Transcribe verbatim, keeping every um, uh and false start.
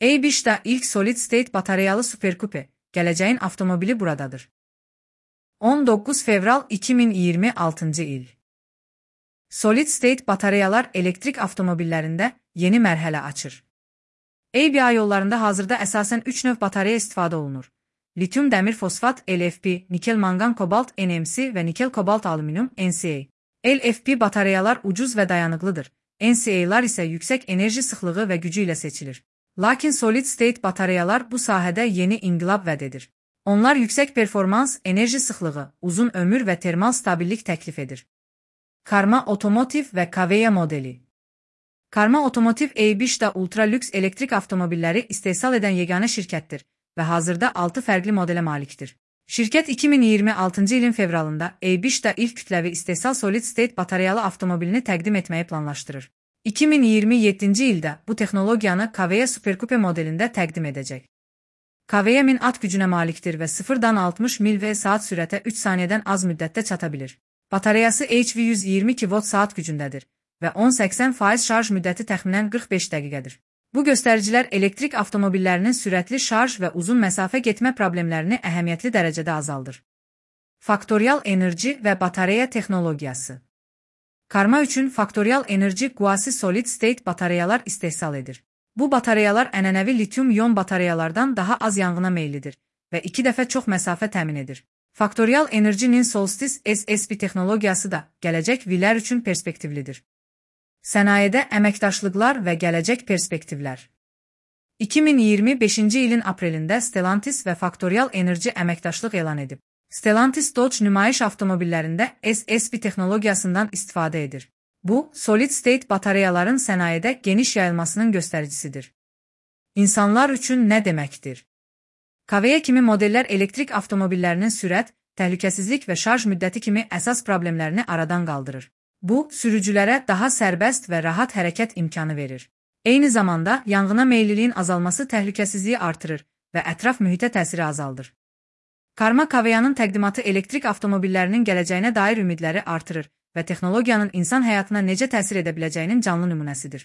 A beşdə ilk solid state batareyalı superkupe, gələcəyin avtomobili buradadır. on doqquz fevral iki min iyirmi altıncı il. Solid state batareyalar elektrik avtomobillərində yeni mərhələ açır. A B A yollarında hazırda əsasən üç növ batareya istifadə olunur. Lityum dəmir fosfat L F P, nikel mangan kobalt N M C və nikel kobalt alüminium N C A. L F P batareyalar ucuz və dayanıqlıdır. N C A'lar isə yüksək enerji sıxlığı və gücü ilə seçilir. Lakin solid state batareyalar bu sahədə yeni inqilab vəd edir. Onlar yüksək performans, enerji sıxlığı, uzun ömür və termal stabillik təklif edir. Karma Otomotiv və Kaveya modeli. Karma Otomotiv A beşdə ultra lüks elektrik avtomobilləri istehsal edən yeganə şirkətdir və hazırda altı fərqli modelə malikdir. Şirkət iki min iyirmi altıncı ilin fevralında A beşdə ilk kütləvi istehsal solid state batareyalı avtomobilini təqdim etməyi planlaşdırır. iki min iyirmi yeddinci ildə bu texnologiyanı Kaveya Superkupe modelində təqdim edəcək. Kaveya min at gücünə malikdir və sıfırdan altmış mil və saat sürətə üç saniyədən az müddətdə çata bilir. Batareyası H V yüz iyirmi kilovat saat gücündədir və on səksən faiz şarj müddəti təxminən qırx beş dəqiqədir. Bu göstəricilər elektrik avtomobillərinin sürətli şarj və uzun məsafə getmə problemlərini əhəmiyyətli dərəcədə azaldır. Faktorial enerji və batareya texnologiyası. Karma üçün faktorial enerji quasi solid state batareyalar istehsal edir. Bu batareyalar ənənəvi lityum-ion batareyalardan daha az yanğına meyillidir və iki dəfə çox məsafə təmin edir. Faktorial enerjinin Solstice S S B texnologiyası da gələcək vilər üçün perspektivlidir. Sənayedə əməkdaşlıqlar və gələcək perspektivlər. iki min iyirmi beşinci ilin aprelində Stellantis və Faktorial Enerji əməkdaşlıq elan edib. Stellantis Dodge nümayiş avtomobillərində S S B texnologiyasından istifadə edir. Bu, solid state batareyaların sənayedə geniş yayılmasının göstəricisidir. İnsanlar üçün nə deməkdir? Kaveya kimi modellər elektrik avtomobillərinin sürət, təhlükəsizlik və şarj müddəti kimi əsas problemlərini aradan qaldırır. Bu, sürücülərə daha sərbəst və rahat hərəkət imkanı verir. Eyni zamanda, yanğına meylliliyin azalması təhlükəsizliyi artırır və ətraf mühitə təsiri azaldır. Karma Kaveyanın təqdimatı elektrik avtomobillərinin gələcəyinə dair ümidləri artırır və texnologiyanın insan həyatına necə təsir edə biləcəyinin canlı nümunəsidir.